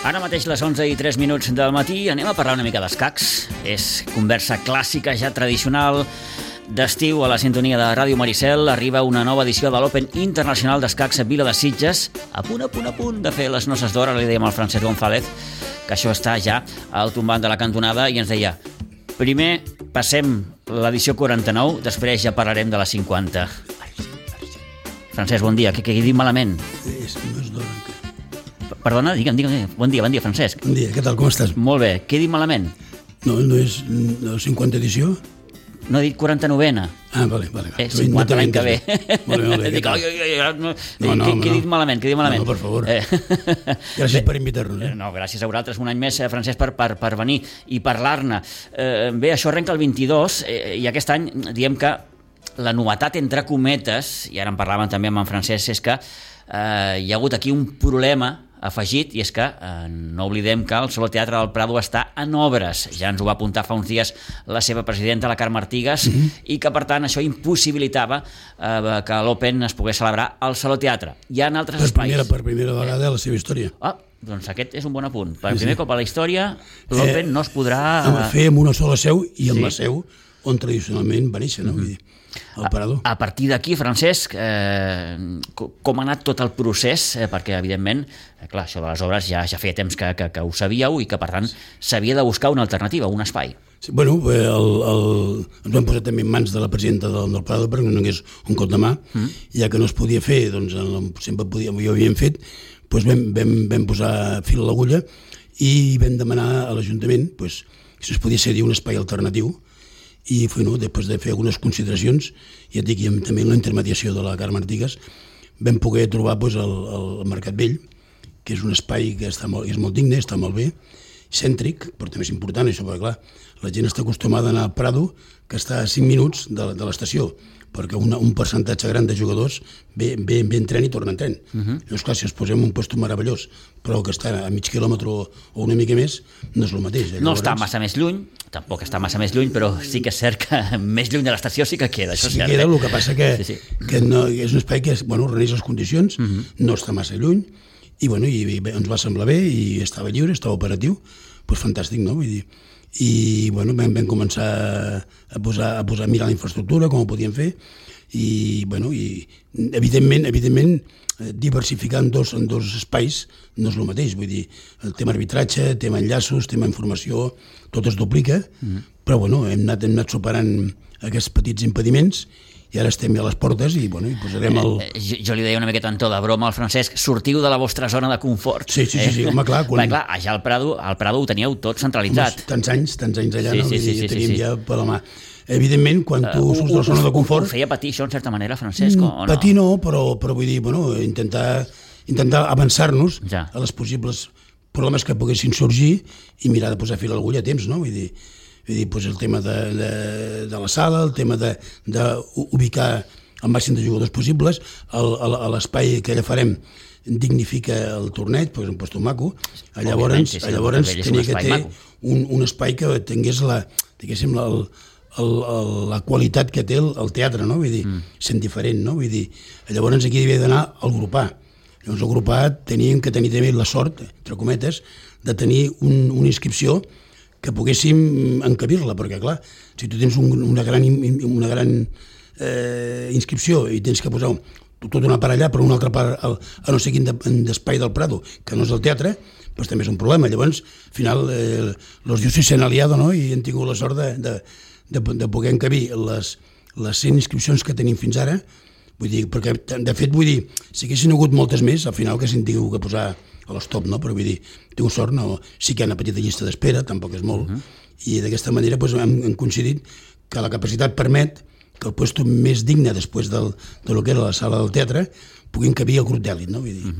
Ara mateix les 11:03 del matí anem a parlar una mica d'escacs. És conversa clàssica, ja tradicional, d'estiu a la sintonia de Ràdio Maricel. Arriba una nova edició de l'Open Internacional d'Escacs a Vila de Sitges. A punt de fer les noces d'hora. Li dèiem al Francesc González que això està ja al tombant de la cantonada i ens deia: primer passem l'edició 49, després ja parlarem de la 50. Francesc, bon dia. Què he dit malament? No és d'hora encara. Perdona, digue'm. Bon dia, Francesc. Bon dia, què tal, com estàs? Molt bé. Què he dit malament? No és la 50 edició? No he dit 49ena. Ah, vale. 50 l'any que ve. Molt bé. Dic, què he dit malament? No, per favor. Gràcies per invitar-nos. No, gràcies a vosaltres un any més, Francesc, per venir i parlar-ne. Bé, això arrenca el 22 i aquest any diem que la novetat, entre cometes, i ara en parlàvem també amb en Francesc, és que hi ha hagut aquí un problema afegit, i és que no oblidem que el Saló Teatre del Prado està en obres. Ja ens ho va apuntar fa uns dies la seva presidenta, la Carme Artigas, i que per tant això impossibilitava que l'Open es pogués celebrar al Saló Teatre. Hi ha altres espais. Per primera vegada a la seva història. Doncs aquest és un bon apunt. Per primer cop a la història l'Open no es podrà fer amb una sola seu i amb la seu on tradicionalment va néixer, no? Vull dir, el Parador. A partir d'aquí, Francesc, com ha anat tot el procés? Perquè, evidentment, clar, això de les obres ja feia temps que ho sabíeu i que, per tant, s'havia de buscar una alternativa, un espai. Sí, bueno, ens vam posar també en mans de la presidenta del Parador perquè no n'hagués un cop de mà, ja que no es podia fer, doncs sempre ho havíem fet, doncs vam posar fil a l'agulla i vam demanar a l'Ajuntament si es podia cedir un espai alternatiu. I després de fer algunes consideracions, ja et dic, i també la intermediació de la Carme Artigas, vam poder trobar el Mercat Vell, que és un espai que és molt digne, està molt bé, cèntric, però també és important això, perquè clar, la gent està acostumada a anar al Prado, que està a 5 minuts de l'estació, perquè un percentatge gran de jugadors ve en tren i torna en tren. Llavors, clar, si ens posem un lloc meravellós, però que està a mig quilòmetre o una mica més, no és el mateix. No està massa més lluny, tampoc està massa més lluny, però sí que és cert que més lluny de l'estació sí que queda. Sí queda, el que passa que és un espai que reuneix les condicions, no està massa lluny, i ens va semblar bé, i estava lliure, estava operatiu, doncs fantàstic, no? Vull dir, i vam començar a mirar la infraestructura, com ho podíem fer, i evidentment diversificar en dos espais no és el mateix, vull dir, el tema arbitratge, tema enllaços, tema informació, tot es duplica, però hem anat superant aquests petits impediments i ara estem ja a les portes i posarem el... Jo li deia una miqueta en to de broma al Francesc: sortiu de la vostra zona de confort. Sí, home, clar. Clar, ja al Prado ho teníeu tot centralitzat. Tants anys allà, no? Teníem ja per la mà. Evidentment, quan tu surts de la zona de confort... Ho feia patir això, en certa manera, Francesc, o no? Patir no, però vull dir, intentar avançar-nos a les possibles problemes que poguessin sorgir i mirar de posar fil a l'agulla a temps, no? Vull dir, el tema de la sala, el tema d'ubicar el màxim de jugadors possibles, l'espai que allà farem dignifica el torneig, perquè és un lloc maco. Llavors tenia que ter un espai que tingués la qualitat que té el teatre, no? Vull dir, sent diferent, no? Vull dir, llavors aquí havia d'anar al grupar. Llavors el grupar teníem que tenir també la sort, entre cometes, de tenir una inscripció que poguéssim encabir-la, perquè clar, si tu tens una gran inscripció i tens que posar tot una part allà, però una altra part a no sé quin d'espai del Prado, que no és el teatre, doncs també és un problema. Llavors, al final, els diusis s'han aliat, no?, i hem tingut la sort de poder encabir les 100 inscripcions que tenim fins ara. Vull dir, perquè, de fet, si haguessin hagut moltes més, al final que s'han tingut que posar a l'estop, no? Però vull dir, tinc sort, no? Sí que hi ha una petita llista d'espera, tampoc és molt, i d'aquesta manera hem coincidit que la capacitat permet que el lloc més digne després de lo que era la sala del teatre pugui encabir el grup d'èlit, no? Vull dir,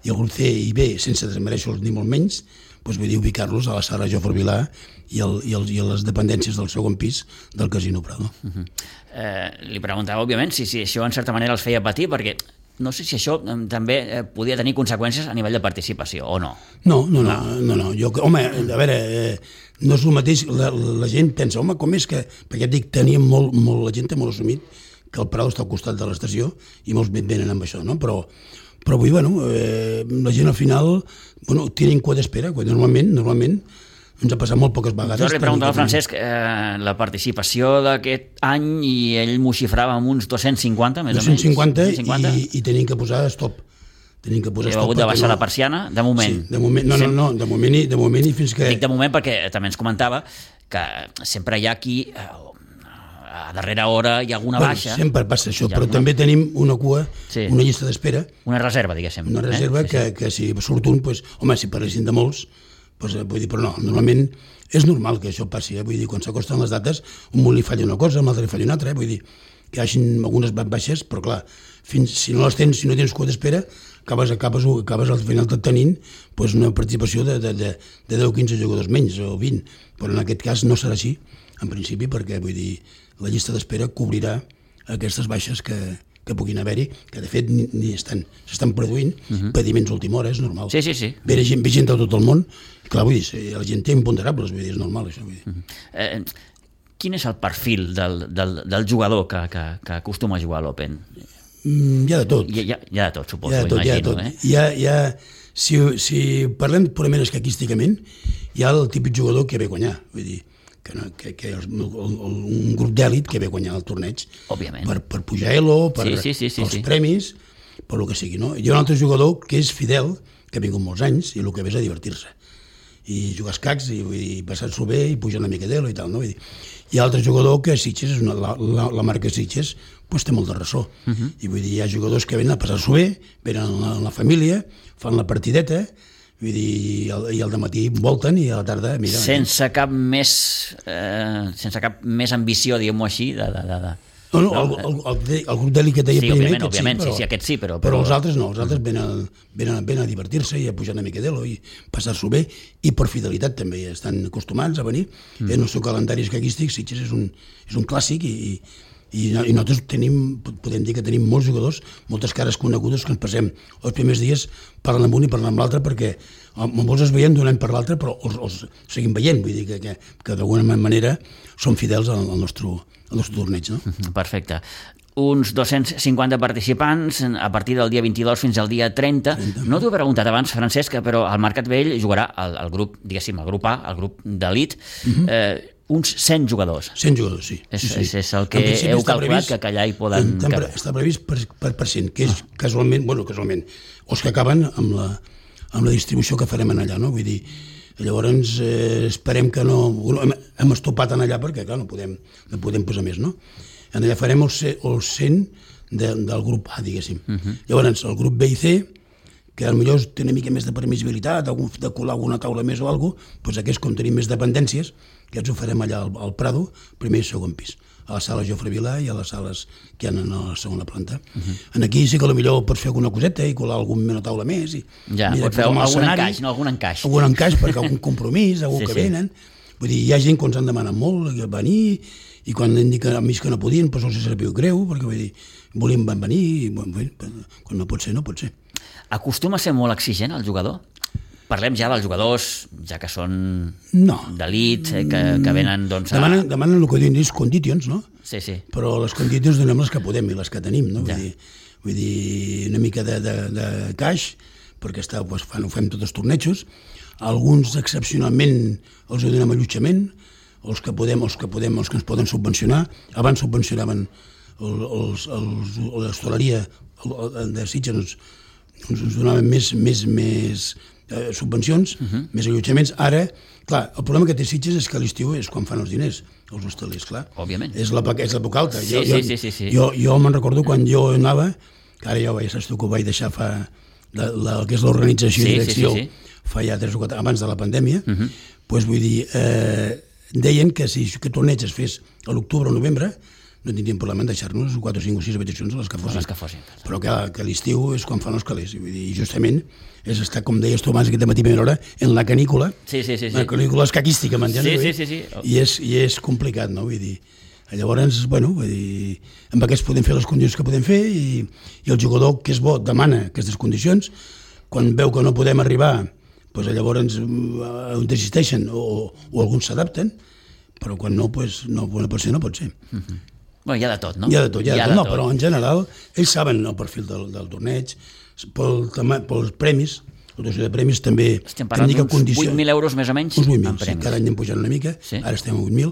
i el grup C i B, sense desmereixer-los ni molt menys, vull dir, ubicar-los a la sala Jofre Vilà i a les dependències del segon pis del Casino Prado. Li preguntava, òbviament, si això en certa manera els feia patir, perquè no sé si això també podia tenir conseqüències a nivell de participació, o no? No. Home, a veure, no és el mateix, la gent pensa, home, com és que... Perquè et dic, la gent té molt assumit que el Prado està al costat de l'estació i molts venen amb això, no? Però vull dir, la gent al final tenen cua d'espera, normalment ens ha passat molt poques vegades. Jo li preguntava al Francesc la participació d'aquest any i ell m'ho xifrava amb uns 250, més o menys. 250 i tenim que posar stop. Heu hagut de baixar la persiana, de moment. Sí, de moment, no, de moment i fins que... Dic de moment perquè també ens comentava que sempre hi ha qui a darrera hora hi ha alguna baixa. Sempre passa això, però també tenim una cua, una llista d'espera. Una reserva, diguéssim. Una reserva que si surt un, si parlessin de molts, vull dir, però no, normalment és normal que això passi, vull dir, quan s'acosten les dates, un li falla una cosa, un altre li falla una altra, vull dir, que hi hagin algunes baixes, però clar, si no les tens, si no tens cua d'espera, acabes al final tenint una participació de 10-15 jugadors menys o 20, però en aquest cas no serà així, en principi, perquè vull dir, la llista d'espera cobrirà aquestes baixes que puguin haver-hi, que de fet s'estan produint pediments a última hora, és normal. Sí. Ve gent de tot el món, clar, vull dir, la gent té imponderables, vull dir, és normal això. Vull dir. Quin és el perfil del jugador que acostuma a jugar a l'Open? Hi ha de tot. Hi ha de tot, suposo, imagino. Si parlem purament escaquísticament, hi ha el típic jugador que ve a guanyar, vull dir, que un grup d'èlit que ve a guanyar el torneig per pujar a Elo, pels premis, per el que sigui. No? Hi ha un altre jugador que és fidel, que ha vingut molts anys, i el que ve és a divertir-se. I jugar escacs, i passar-s'ho bé, i pujar una mica d'Elo i tal. No? Hi ha altre jugador que Sitges, la marca Sitges, té molt de ressò. I vull dir, hi ha jugadors que venen a passar-s'ho bé, venen a la família, fan la partideta, vull dir, i al dematí volten i a la tarda... Mira, sense cap més ambició, diguem-ho així, el grup d'èlit que deia primer, òbviament, aquest sí, però els altres no, els altres venen a divertir-se i a pujar una mica d'Elo i passar-s'ho bé, i per fidelitat també estan acostumats a venir. En el seu calendari escaquístic, Sitges és un clàssic i nosaltres podem dir que tenim molts jugadors, moltes cares conegudes que ens passem els primers dies parlant amb un i parlant amb l'altre, perquè molts es veiem d'un any per l'altre, però els seguim veient, vull dir que d'alguna manera són fidels al nostre torneig. No? Perfecte. Uns 250 participants a partir del dia 22 fins al dia 30. No t'ho he preguntat abans, Francesc, però el Mercat Vell jugarà el grup, diguéssim, el grup A, el grup d'elit, uns 100 jugadors. 100 jugadors, sí. És el que heu calculat que allà hi poden caber. Està previst per 100, que és casualment, els que acaben amb la distribució que farem allà, no? Vull dir, llavors esperem que no... Hem estopat allà perquè, clar, no podem posar més, no? Allà farem els 100 del grup A, diguéssim. Llavors, el grup B i C, que potser té una mica més de permissibilitat, de colar alguna taula més o alguna cosa, doncs aquests, com tenim més dependències, que ens ho farem allà al Prado, primer i segon pis, a la sala Jofre Vilà i a les sales que hi ha a la segona planta. Aquí sí que potser pots fer alguna coseta i colar alguna taula més. Ja, pots fer algun encaix, no? Algun encaix. Algun encaix, perquè algun compromís, algú que venen. Vull dir, hi ha gent que ens han demanat molt venir, i quan han dit que a mi que no podien, doncs els sabia greu, perquè vull dir, volien venir, i quan no pot ser, no pot ser. Acostuma a ser molt exigent el jugador? Parlem ja dels jugadors, ja que són d'elit, que venen... Demanen el que diuen, conditions, no? Sí. Però les conditions donem les que podem i les que tenim, no? Vull dir, una mica de caix, perquè ho fem tots els tornejos. Alguns, excepcionalment, els donem allotjament, els que ens poden subvencionar. Abans subvencionaven l'hostaleria de Sitges, ens donaven més subvencions, més allotjaments. Ara, clar, el problema que té Sitges és que l'estiu és quan fan els diners, els hostalers, clar. Òbviament. És l'època alta. Sí. Jo me'n recordo quan jo anava, que ara ja saps tu que ho vaig deixar que és l'organització i direcció, fa ja 3 o 4 abans de la pandèmia, doncs vull dir, deien que si aquest torneig es fes a l'octubre o novembre, no tindríem problema en deixar-nos 4, 5 o 6 habitacions a les que fossin. Però que l'estiu és quan fan els calés. I justament és estar, com deies tu abans, aquest matí a primera hora, en la canícula. Sí. La canícula escaquística, m'entens? Sí. I és complicat, no? Vull dir, llavors, vull dir, amb aquests podem fer les condicions que podem fer i el jugador que és bo demana aquestes condicions. Quan veu que no podem arribar, doncs llavors desisteixen o alguns s'adapten, però quan no pot ser, no pot ser. Bueno, hi ha de tot, no? Hi ha de tot. No, però en general ells saben el perfil del torneig, pels premis, la dotació de premis també... Estem parlant d'uns 8.000 euros més o menys uns 8.000, en premis. Sí, cada any hem pujat una mica, ara estem a 8.000,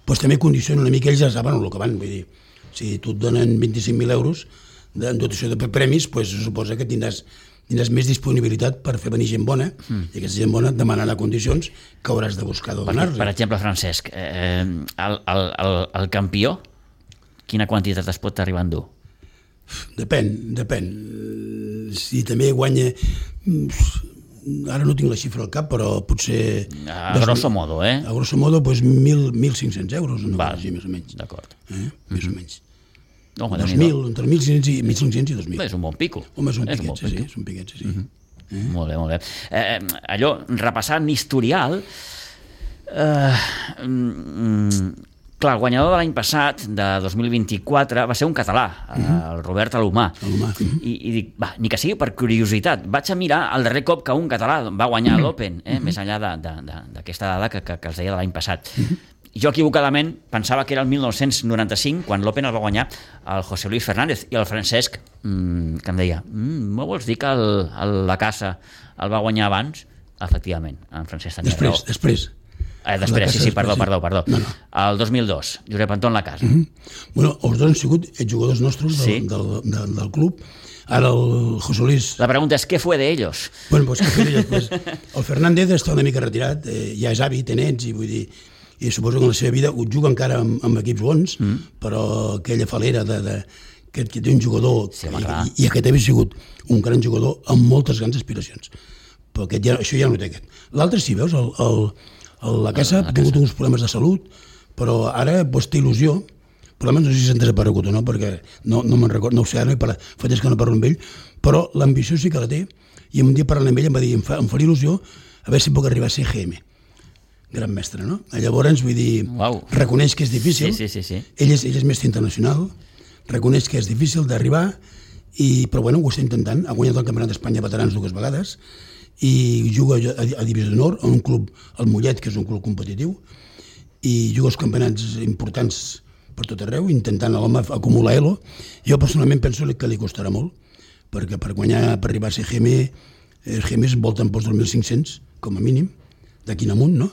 doncs també condiciona una mica, ells ja saben el que van, vull dir, si tu et donen 25.000 euros en dotació de premis, doncs suposa que tindràs més disponibilitat per fer venir gent bona, i aquesta gent bona et demanarà condicions que hauràs de buscar de donar-los. Per exemple, Francesc, el campió, quina quantitat es pot arribar a endur? Depèn. Si també guanya... Ara no tinc la xifra al cap, però potser... A grosso modo, eh? A grosso modo, doncs 1.500 euros, no? Així, més o menys. D'acord. Més o menys. 2.000, entre 1.500 i 2.000. És un bon pico. Home, és un piquet, sí. Molt bé. Allò, repassant historial... Clar, el guanyador de l'any passat, de 2024, va ser un català, el Robert Alomar. I dic, ni que sigui per curiositat, vaig a mirar el darrer cop que un català va guanyar l'Open, més enllà d'aquesta dada que es deia de l'any passat. Jo equivocadament pensava que era el 1995, quan l'Open el va guanyar el José Luis Fernández, i el Francesc, que em deia, no vols dir que la Casa el va guanyar abans? Efectivament, en Francesc tenia raó. Després, sí, perdó. No. El 2002, Josep Anton Lacasa. Bueno, els dos han sigut jugadors nostres del club. Ara el José Luis... La pregunta és, què fue de ellos? Bueno, pues, què fue de ellos? El Fernández està una mica retirat, ja és avi, té nets, i vull dir, i suposo que en la seva vida ho juga encara amb equips bons, però aquella falera que té un jugador, i aquest havia sigut un gran jugador amb moltes grans aspiracions. Però això ja no té aquest. L'altre, si veus, la Casa ha tingut uns problemes de salut, però ara té il·lusió. Problemes no sé si s'han desaparegut o no, perquè no me'n recordo, no ho sé, ara fa temps que no parlo amb ell, però l'ambició sí que la té, i un dia parlant amb ell em va dir, em faria il·lusió a veure si puc arribar a ser GM. Gran mestre, no? Llavors, vull dir, reconeix que és difícil, ell és mestre internacional, reconeix que és difícil d'arribar, però bueno, ho està intentant, ha guanyat el Campionat d'Espanya veterans 2 vegades, i juga a Divisió d'Honor, a un club, el Mollet, que és un club competitiu, i juga als campionats importants per tot arreu, intentant l'home acumular elo. Jo personalment penso que li costarà molt, perquè per arribar a ser GM, els GMs volten pels 2.500, com a mínim, d'aquí en amunt, no?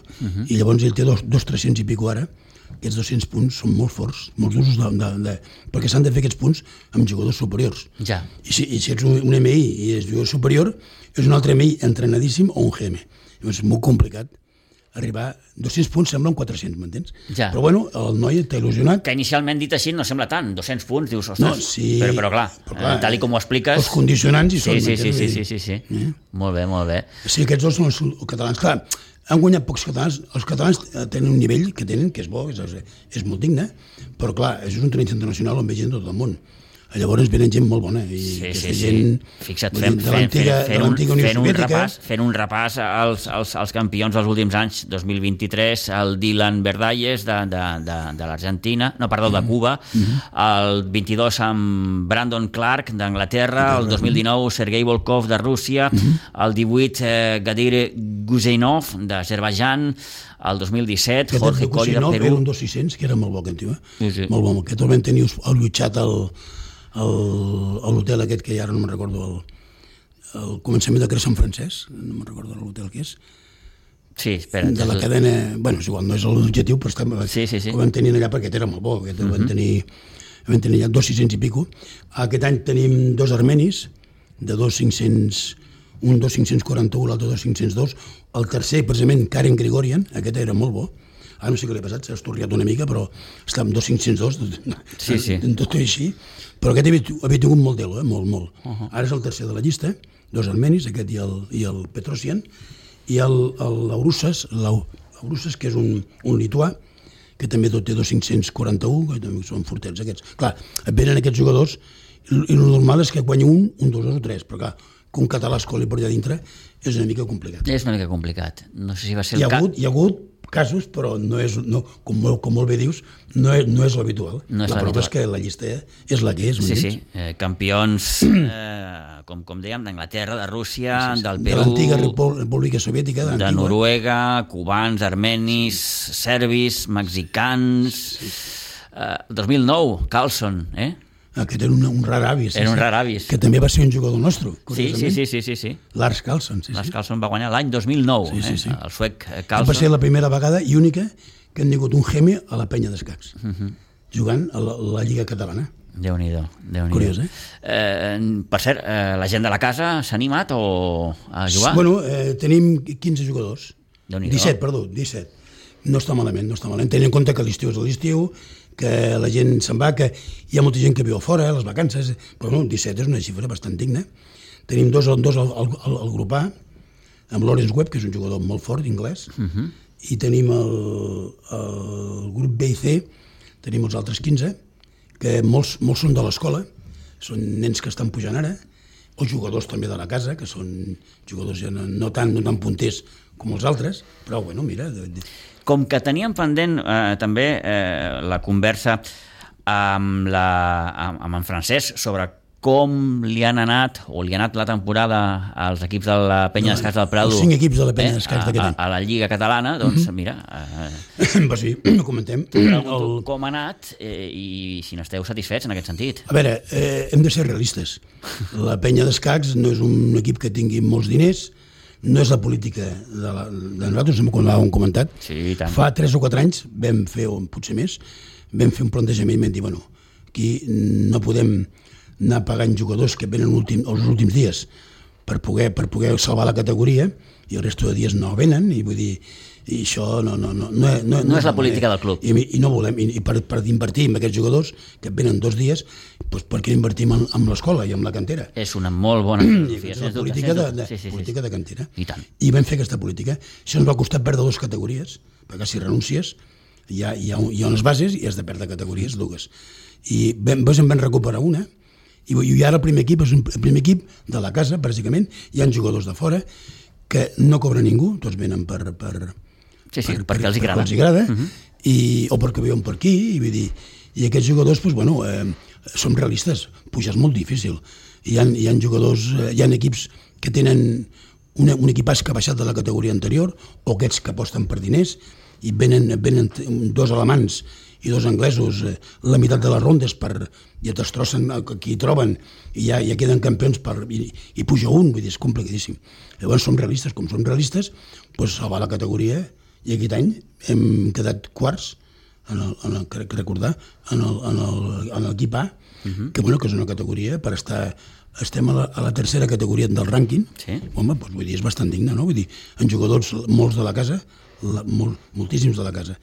I llavors ell té 2.300 i pico ara. Aquests 200 punts són molt forts, molt durs, perquè s'han de fer aquests punts amb jugadors superiors. Ja. I si ets un MI i és jugador superior, és un altre MI entrenadíssim o un GM. És molt complicat arribar... 200 punts semblen 400, m'entens? Ja. Però bueno, el noi t'ha il·lusionat. Que inicialment dit així no sembla tant, 200 punts, dius, ostres, no, sí, però clar, tal com ho expliques... Els condicionants hi són. Sí. Molt bé. Sí, aquests dos són els catalans. Clar, han guanyat pocs catalans. Els catalans tenen un nivell que tenen, que és bo, és molt digne, però clar, és un torneig internacional on ve gent de tot el món. Llavors venen gent molt bona. Gent, fixa't, fent un repàs als campions dels últims anys, 2023, el Dylan Verdalles de l'Argentina, de Cuba, el 22 amb Brandon Clark d'Anglaterra, el 2019 Sergei Volkov de Rússia, el 18 Gadir Guzeynov d'Azerbaidjan, el 2017 Jorge Coll de Perú. Era un 2.600, que era molt bo aquest tio, molt bo. Aquest el vam tenir allotjat a l'hotel aquest que ara no me'n recordo, el començament de Creu Sant Francesc, no me'n recordo l'hotel que és. Sí, espera. De la cadena, bueno, és igual, no és l'objectiu, però ho vam tenir allà perquè era molt bo, aquest el vam tenir allà 2.600 i pico. Aquest any tenim 2 armenis, de 2.500, un 2.541, l'altre 2.502, el tercer, precisament, Karen Grigorian, aquest era molt bo. Ara no sé què li ha passat, s'ha estorriat una mica, però està amb 2.502, tot així. Però aquest havia tingut molt d'elo, molt. Ara és el tercer de la llista, 2 armenis, aquest i el Petrosian, i l'Aurusas, que és un lituà, que també tot té 2.541, que també són fortets aquests. Clar, et venen aquests jugadors, i el normal és que guanyi un, 2 o 3, però clar, que un català es coli per allà dintre és una mica complicat. És una mica complicat. No sé si va ser el cas. Hi ha hagut casos, però com molt bé dius, no és l'habitual. La prova és que la llista és la que és. Sí. Campions, com dèiem, d'Anglaterra, de Rússia, del Perú... De l'antiga República Soviètica. De Noruega, cubans, armenis, serbis, mexicans... 2009, Carlson, Aquest era un rar avis. Era un rar avis. Que també va ser un jugador nostre, curiosament. Sí. Lars Carlson. Lars Carlson va guanyar l'any 2009, el suec Carlson. Va ser la primera vegada i única que han tingut un gemi a la penya d'escacs, jugant a la Lliga Catalana. Déu-n'hi-do. Curiós, Per cert, la gent de la casa s'ha animat a jugar? Bueno, tenim 15 jugadors. 17. No està malament. Tenint en compte que l'estiu és l'estiu, que la gent se'n va, que hi ha molta gent que viu a fora, les vacances, però no, 17 és una xifra bastant digna. Tenim dos al grup A, amb Lawrence Webb, que és un jugador molt fort, d'inglès, i tenim el grup B i C, tenim els altres 15, que molts són de l'escola, són nens que estan pujant ara, o jugadors també de la casa, que són jugadors ja no tan punters com els altres, però bueno, mira... Com que teníem pendent també la conversa amb en Francesc sobre com li han anat o li ha anat la temporada als equips de la Penya d'Escacs del Prado, els 5 equips de la Penya d'Escacs d'aquest any, a la Lliga Catalana, doncs mira... Pues sí, ho comentem. Com ha anat i si n'esteu satisfets en aquest sentit. A veure, hem de ser realistes. La Penya d'Escacs no és un equip que tingui molts diners, no és la política de nosaltres, com l'hàvem comentat. Sí, tant. Fa 3 o 4 anys vam fer, o potser més, vam fer un plantejament i vam dir, bueno, aquí no podem anar pagant jugadors que venen els últims dies per poder salvar la categoria i el resto de dies no venen, i vull dir, i això no és la política del club. I no volem, i per invertir en aquests jugadors que venen 2 dies, doncs per què invertim en l'escola i en la cantera? És una molt bona filosofia. És la política de cantera. I vam fer aquesta política. Això ens va costar perdre 2 categories, perquè si renuncies hi ha unes bases i has de perdre categories, 2. I en vam recuperar una, i ara el primer equip és el primer equip de la casa, bàsicament. Hi ha jugadors de fora que no cobra ningú, tots venen perquè els agrada. O perquè viuen per aquí, i aquests jugadors, som realistes, pujar és molt difícil. Hi ha jugadors, hi ha equips que tenen un equipàs que ha baixat de la categoria anterior, o aquests que aposten per diners, i venen 2 alemans i 2 anglesos la meitat de les rondes i et destrossen qui hi troben i ja queden campions i puja un, vull dir, és complicadíssim. Llavors som realistes, salvar la categoria, i aquest any hem quedat quarts, crec recordar, en l'equip A, que és una categoria per estar... Estem a la tercera categoria del rànquing. Home, vull dir, és bastant digne, no? Vull dir, en jugadors, molts de la casa, moltíssims de la casa,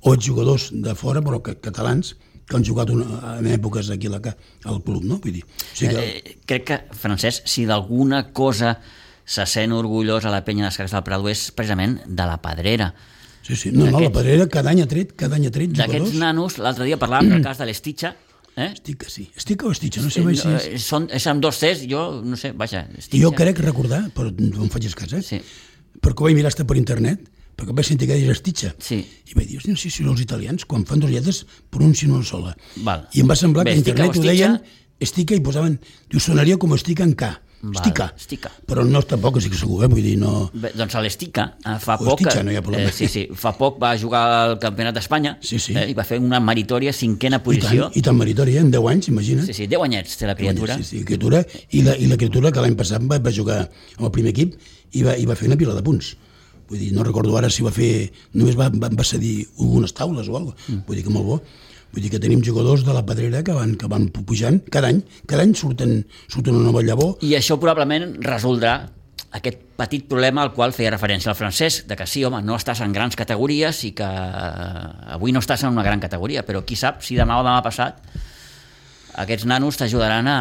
o jugadors de fora, però catalans, que han jugat en èpoques aquí al club, no? Vull dir, crec que, Francesc, si d'alguna cosa se sent orgullós a la Penya d'Escacs del Prado és precisament de la Pedrera. Sí, la Pedrera cada any ha tret jugadors. D'aquests nanos, l'altre dia parlàvem del cas de l'Estitxa. Estica, sí. Estica o Estitxa, no sé mai si és... És amb 2 Cs, jo no sé, vaja, Estitxa. Jo crec recordar, però no em facis cas, perquè ho vaig mirar per internet, perquè vaig sentir que deia Estitxa. I vaig dir, no sé si els italians, quan fan 2 lletres, pronuncien una sola. I em va semblar que a internet ho deien Estica i posaven... Diu, sonaria com Estica en K. Estica. Però no tampoc estic segur, vull dir, no... Doncs l'Estica fa poc... Estica, no hi ha problema. Fa poc va jugar al Campionat d'Espanya i va fer una meritòria 5a posició. I tan meritòria, en 10 anys, imagina't. Sí, 10 anyets té la criatura. Criatura, i la criatura que l'any passat va jugar amb el primer equip i va fer una pila de punts. Vull dir, no recordo ara si va fer... Només va cedir algunes taules o alguna cosa. Vull dir que molt bo. Vull dir que tenim jugadors de la Pedrera que van pujant cada any surten una nova llavor. I això probablement resoldrà aquest petit problema al qual feia referència el Francesc, de que sí, home, no estàs en grans categories i que avui no estàs en una gran categoria, però qui sap si demà o demà passat aquests nanos t'ajudaran a...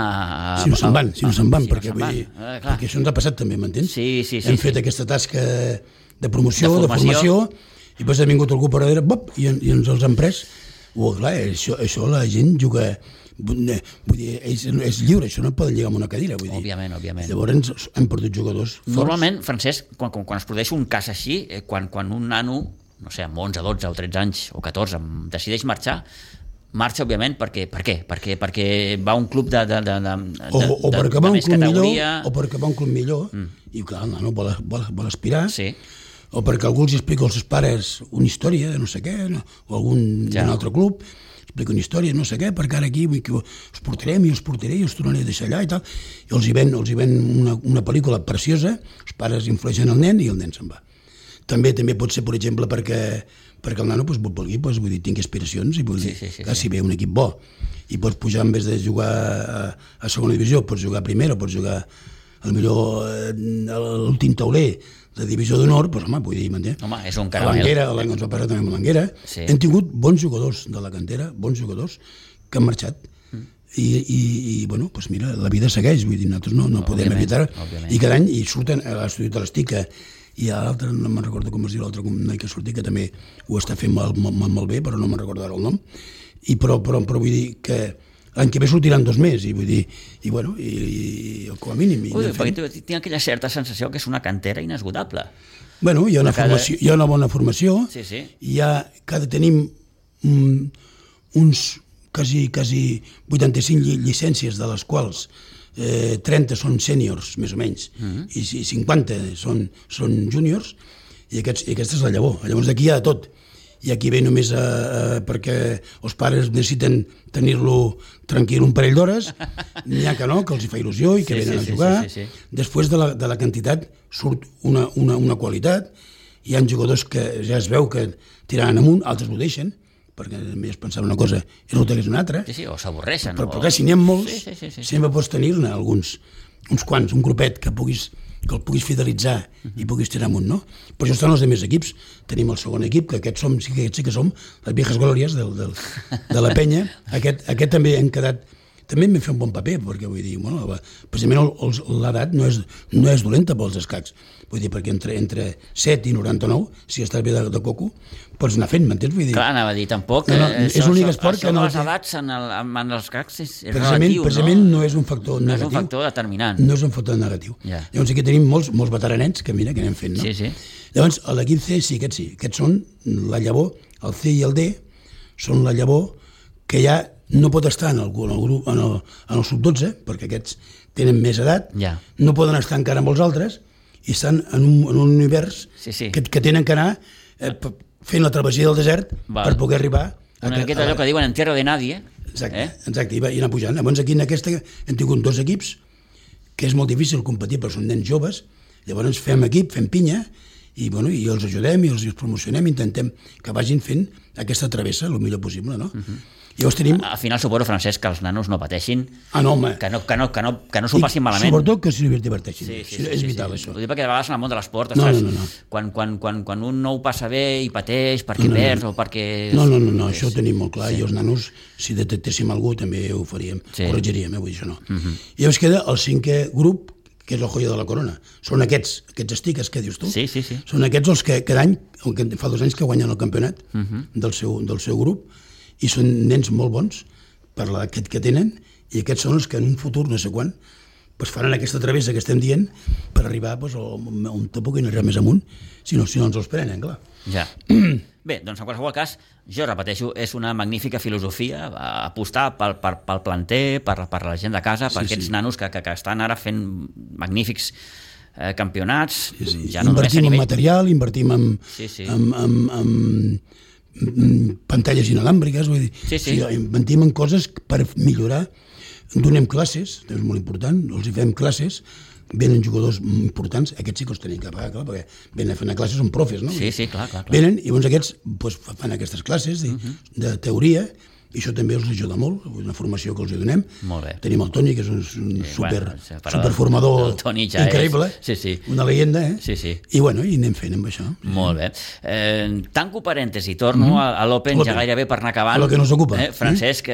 Si no se'n van, perquè això ens ha passat també, m'entens? Sí. Hem fet aquesta tasca de promoció, de formació, i després ha vingut algú per darrere, i ens els han pres. Clar, això la gent juga, vull dir, és lliure, això no et poden lligar amb una cadira, vull dir. Òbviament. Llavors hem perdut jugadors forts. Normalment, Francesc, quan es produeix un cas així, quan un nano, no sé, amb 11, 12 o 13 anys o 14, decideix marxa, òbviament, per què? Perquè va a un club de més categoria... O perquè va a un club millor, i clar, el nano vol aspirar, o perquè algú els explica als seus pares una història de no sé què, o d'un altre club, expliquen històries, no sé què, perquè ara aquí us portarem i us portaré i us tornaré a deixar allà i tal, i els hi ven una pel·lícula preciosa, els pares influeixen el nen i el nen se'n va. També pot ser, per exemple, perquè el nano vulgui, vull dir, tingui aspiracions i vull dir, si ve un equip bo i pots pujar, en vez de jugar a segona divisió, pots jugar a primera, pots jugar millor a l'últim tauler de divisió d'honor, doncs home, vull dir, m'entén? Home, és un caramel. A l'Anguera, l'any que ens va passar també amb l'Anguera, hem tingut bons jugadors de la cantera, bons jugadors que han marxat. I bueno, doncs mira, la vida segueix, vull dir, nosaltres no podem evitar, i cada any surten a l'estudi de l'Estica, i a l'altre, no me'n recordo com es diu l'altre noi que ha sortit, que també ho està fent molt bé, però no me'n recordo ara el nom, però vull dir que l'any que ve sortiran 2 més, i vull dir, i bueno, i com a mínim... Perquè tinc aquella certa sensació que és una cantera inesgotable. Bueno, hi ha una bona formació, tenim uns quasi 85 llicències, de les quals 30 són sèniors, més o menys, i 50 són júniors, i aquesta és la llavor. Llavors aquí hi ha de tot. I aquí ve només perquè els pares necessiten tenir-lo tranquil un parell d'hores, n'hi ha que no, que els hi fa il·lusió i que venen a jugar. Després de la quantitat surt una qualitat, hi ha jugadors que ja es veu que tiraran amunt, altres ho deixen, perquè només pensava una cosa i no és una altra. Sí, o s'avorreixen. Però clar, si n'hi ha molts, sempre pots tenir-ne uns quants, un grupet que el puguis fidelitzar i puguis tirar amunt, no? Per això estan els altres equips. Tenim el segon equip, que aquests sí que som les viejas glòries de la penya. Aquest també hem quedat... També hem fet un bon paper, perquè vull dir, bueno, precisament l'edat no és dolenta pels escacs. Vull dir, perquè entre 7 i 99, si estàs bé de coco, pots anar fent, m'entens? Clar, anava a dir, tampoc... És l'únic esport que no... Això de les edats en els escacs és relatiu, no? Precisament no és un factor negatiu. No és un factor determinant. No és un factor negatiu. Llavors aquí tenim molts veteranets que mira, que anem fent, no? Sí. Llavors, a l'equip C sí. Aquests són la llavor, el C i el D són la llavor que ja no pot estar en el grup, en el sub-12, perquè aquests tenen més edat, no poden estar encara amb els altres, i estan en un univers que tenen que anar fent la travessia del desert per poder arribar... Una miqueta allò que diuen en tierra de nadie. Exacte, i anar pujant. Llavors aquí en aquesta hem tingut 2 equips, que és molt difícil competir, però són nens joves, llavors fem equip, fem pinya, i els ajudem i els promocionem, intentem que vagin fent aquesta travessa el millor possible, no? Llavors tenim... Al final suposo, Francesc, que els nanos no pateixin, home. Que no s'ho passin malament. Sobretot que s'hi diverteixin. És vital, això. Ho dic perquè de vegades en el món de l'esport, no. Quan un no ho passa bé i pateix perquè perd o perquè... No, això ho tenim molt clar, i els nanos, si detectéssim algú, també ho faríem, corregiríem, vull dir, això no. I llavors queda el 5è grup, que és la joia de la corona. Són aquests estiques que dius tu. Sí. Són aquests els que cada any, fa 2 anys que guanyen el campionat del seu grup, i són nens molt bons per l'edat que tenen, i aquests són els que en un futur, no sé quan, faran aquesta travessa que estem dient per arribar on te puguin arribar més amunt, si no ens els prenen, clar. Ja. Bé, doncs en qualsevol cas, jo repeteixo, és una magnífica filosofia apostar pel planter, per la gent de casa, per aquests nanos que estan ara fent magnífics campionats. Ja no invertim en material, invertim en pantalles inalàmbriques, vull dir, invertim en coses per millorar. Donem classes, és molt important, els hi fem classes, venen jugadors importants, aquests sí que els tenim que pagar, clar, perquè venen a fer una classe, són profes, no? Sí, clar. Venen, i llavors aquests fan aquestes classes de teoria, i això també els ajuda molt, una formació que els donem. Molt bé. Tenim el Toni, que és un superformador increïble, una llegenda, i anem fent amb això. Molt bé. Tanco parèntesi, torno a l'Open, ja gairebé per anar acabant. A lo que nos ocupa. Francesc,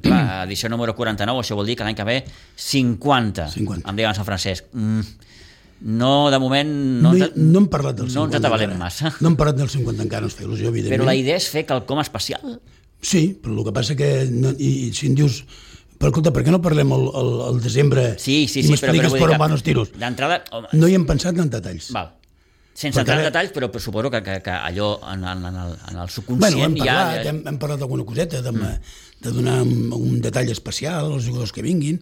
clar, edició número 49, això vol dir que l'any que ve 50. Em diuen Sant Francesc. No, de moment... No hem parlat del 50. No ens atabalem massa. No hem parlat del 50 encara, ens fa il·lusió, evidentment. Però la idea és fer quelcom especial. Sí, però el que passa que si em dius, però escolta, per què no parlem al desembre i m'expliques per on van els tiros? D'entrada... No hi hem pensat en detalls. Val. Sense entrar en detalls, però suposo que allò en el subconscient hem parlat d'alguna coseta, de donar un detall especial als jugadors que vinguin,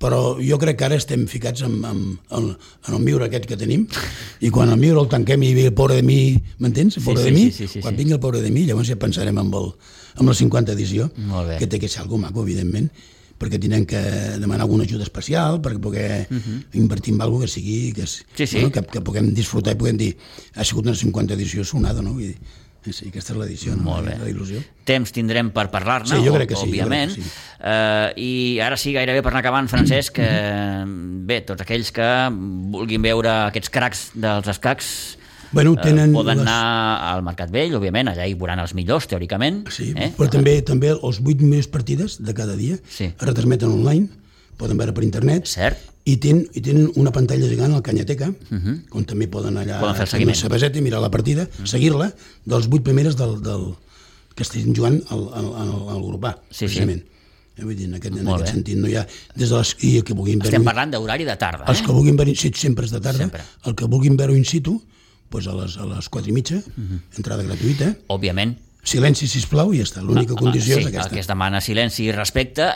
però jo crec que ara estem ficats en el miure aquest que tenim, i quan el miure el tanquem i ve el pobre de mi, m'entens? El pobre de mi, quan vingui el pobre de mi, llavors ja pensarem en la 50 edició, que té que ser algo maco, evidentment, perquè tindrem que demanar alguna ajuda especial perquè poder invertir en alguna cosa que sigui que puguem disfrutar i puguem dir ha sigut una 50 edició sonada, no? Vull dir, sí, aquesta és l'edició, no? La il·lusió. Temps tindrem per parlar-ne, òbviament. I ara sí, gairebé per anar acabant, Francesc, bé, tots aquells que vulguin veure aquests cracs dels escacs poden anar al Mercat Vell, òbviament, allà hi veuran els millors, teòricament. Sí, però també els 8 millors partides de cada dia es retransmeten online, poden veure per internet, i tenen una pantalla gegant al Canyateca, on també poden allà fer una cerveseta i mirar la partida, seguir-la, dels 8 primeres que estiguin jugant al grup A, precisament. Vull dir, en aquest sentit no hi ha... Estem parlant d'horari de tarda. Els que vulguin veure in situ sempre és de tarda, el que vulguin veure in situ a les 4:30, entrada gratuïta. Òbviament. Silenci, sisplau, i ja està. L'única condició és aquesta. El que es demana silenci i respecte,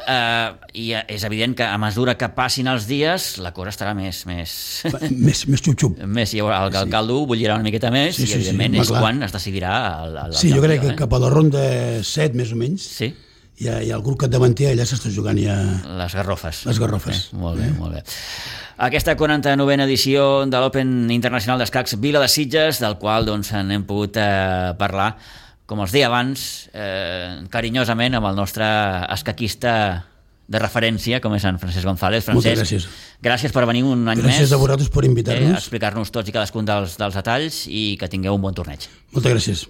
i és evident que a mesura que passin els dies la cosa estarà més xup-xup. El caldo bullirà una miqueta més, i evidentment és quan es decidirà el sí, jo crec que cap a la ronda 7, més o menys, hi ha el grup capdavanter, allà s'està jugant ja... Les garrofes. Molt bé, molt bé. Aquesta 49a edició de l'Open Internacional d'Escacs Vila de Sitges, del qual n'hem pogut parlar, com els deia abans, carinyosament amb el nostre escaquista de referència, com és en Francesc González. Francesc, gràcies per venir un any més. Gràcies a vosaltres per invitar-nos. A explicar-nos tots i cadascun dels detalls, i que tingueu un bon torneig. Moltes gràcies.